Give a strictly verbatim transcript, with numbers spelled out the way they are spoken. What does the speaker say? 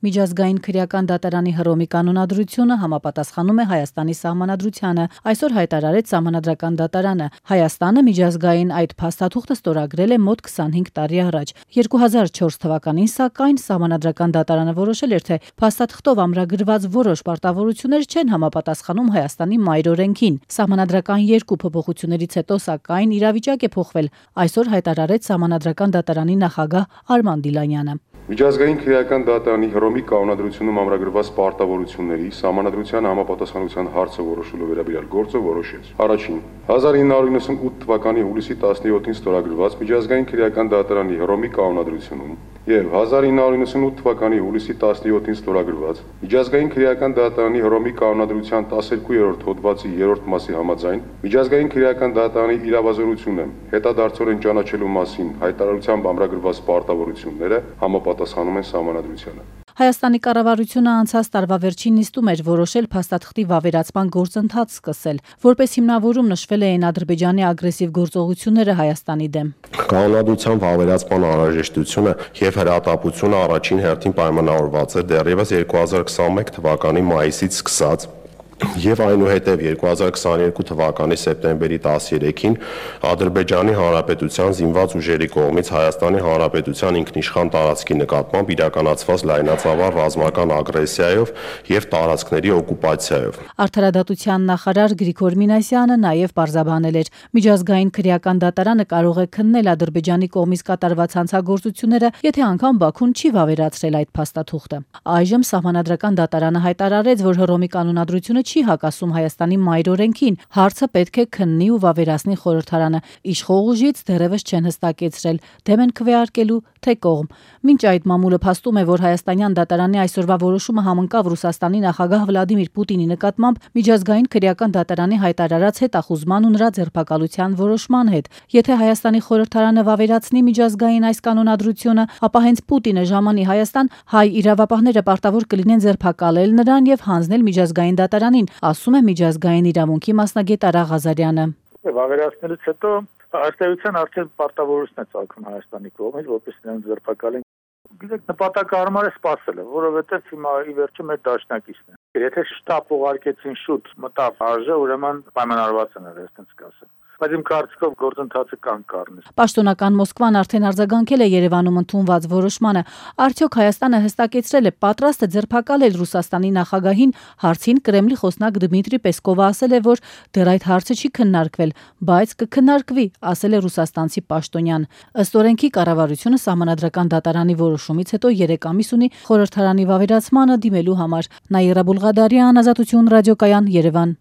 Միջազգային քրեական դատարանի Հռոմի կանոնադրությունը համապատասխանում է Հայաստանի սահմանադրությանը, այսօր հայտարարեց Սահմանադրական դատարանը։ Հայաստանը միջազգային այդ փաստաթուղթը ստորագրել է մոտ քսանհինգ տարի առաջ։ երկու հազար չորս թվականին, սակայն Սահմանադրական դատարանը որոշել էր, թե փաստաթղթով ամրագրված որոշ պարտավորություններ չեն համապատասխանում Հայաստանի մայր օրենքին։ Սահմանադրական երկու փոփոխություններից հետո, սակայն, իրավիճակ է փոխվել, այսօր հայտարարեց Սահմանադրական դատարանի նախագահ Արման Դիլանյանը։ Միջազգային քրեական դատարանի Հռոմի կանոնադրությունում ամրագրված պարտավորությունների սահմանադրության համապատասխանության հարցը որոշելու վերաբերյալ գործը որոշեց. Առաջին, հազար ինը հարյուր իննսունութ թվականի հուլիսի տասնյոթին ստորագրված Միջազգային քրեական դատարանի Հռոմի կանոնադրությունում եւ հազար ինը հարյուր իննսունութ թվականի հուլիսի տասնյոթին ստորագրված Միջազգային քրեական դատարանի Հռոմի կանոնադրության տասներկուերորդ հոդվածի երրորդ մասի համաձայն Միջազգային քրեական դատարանի իրավազորությունը հետադարձորեն ճանաչելու մասին հայտարարությամբ ամրագրված պարտավորությունները համապատասխանում են Սահմանադրությանը։ Հայաստանի կառավարությունը անցած տարվա վերջին նիստում էր որոշել փաստաթղթի վավերացման գործընթաց սկսել, որպես հիմնավորում նշվել էին Ադրբեջանի ագրեսիվ գործողությունները Հայաստանի դեմ։ Կանոնադրության վավերացման անհրաժեշտությունը եւ հրատապությունը առաջին հերթին պայմանավորված է դեռևս երկու հազար քսանմեկ թվականի մայիսից սկսած եւ այնուհետեւ երկու հազար քսաներկու թվականի սեպտեմբերի տասներեքին Ադրբեջանի Հանրապետության զինված ուժերի կողմից Հայաստանի Հանրապետության ինքնիշխան տարածքի նկատմամբ իրականացված լայնածավալ ռազմական ագրեսիայով եւ տարածքների օկուպացիայով։ Արդարադատության նախարար Գրիգոր Մինասյանը նաեւ պարզաբանել էր. Միջազգային քրեական դատարանը կարող է քննել Ադրբեջանի կողմից կատարված հանցագործությունները, եթե անգամ Բաքուն չի վավերացրել այդ փաստաթուղթը։ Այժմ Սահմանադրական դատարանը հայտարարեց, որ Հռոմի կանոնադրությունը չի հակասում Հայաստանի մայր օրենքին, հարցը պետք է քննի ու վավերացնի խորհրդարանը։ Իշխող ուժից դեռևս չեն հստակեցրել դեմ են քվեարկելու թե կողմ։ Մինչ այդ մամուլը փաստում է, որ հայաստանյան դատարանի այսօրվա որոշումը համընկավ Ռուսաստանի նախագահ Վլադիմիր Պուտինի նկատմամբ Միջազգային քրեական դատարանի հայտարարած հետախուզման ու նրա ձերբակալության որոշման հետ։ Եթե Հայաստանի խորհրդարանը վավերացնի միջազգային այս կանոնադրությունը, ապա հենց Պուտինը ժամանի Հայաստան, հայ իրավապահները պարտավոր կլինեն ձերբակալել նրան եւ հանձնել միջազգային դատարանին, ասում է միջազգային իրավունքի մասնագետ Արա Ղազարյանը։ Վավերացնելուց հետո արտահայտության արդեն պարտավորություն է ծագում Հայաստանի կողմից, որպես նրան ձերբակալեն։ Գիտեք, նպատակահարմար է սպասելը, որովհետև հիմա ի վերջո մեր դաշնակիցն է։ Եթե շտապ ուղարկեցին շուտ մտավ արժե, ուրեմն պայմանավորված են եղել, այդպես կասեմ։ Բայց իմ կարծիքով գործընթացը կան կառնի։ Պաշտոնական Մոսկվան արդեն արձագանքել է Երևանում ընդունված որոշմանը։ Արդյոք Հայաստանը հստակեցրել է պատրաստ է ձերբակալել Ռուսաստանի նախագահին, հարցին Կրեմլի խոսնակ Դմիտրի Պեսկովը ասել է, որ դեռ այդ հարցը չի քննարկվել, բայց կքննարկվի, ասել է ռուսաստանցի պաշտոնյան։ Ըստ օրենքի կառավարությունը Սահմանադրական դատարանի որոշումից հետո երեք ամիս ունի խորհրդարանի վավերացմանը դիմելու համար։ Նաիրա Բուլղադարյան, Ազատություն ռադիոկայան, Երևան։